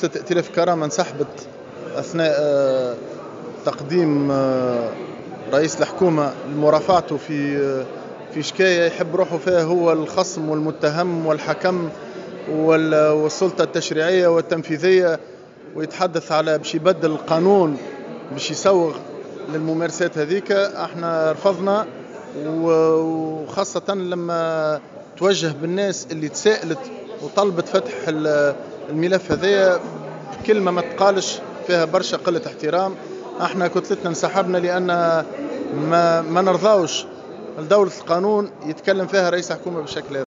كتلة ائتلاف كرامة انسحبت أثناء تقديم رئيس الحكومة لمرافعته في شكاية يحب روحه فيها هو الخصم والمتهم والحكم والسلطة التشريعية والتنفيذية، ويتحدث على باش يبدل القانون باش يسوغ للممارسات هذيك. احنا رفضنا، وخاصة لما توجه بالناس اللي تساءلت وطلبت فتح الملف هذايا بكلمة ما تقالش فيها برشا قلة احترام. احنا كتلتنا انسحبنا لأن ما نرضاوش لدولة القانون يتكلم فيها رئيس الحكومة بالشكل هذا.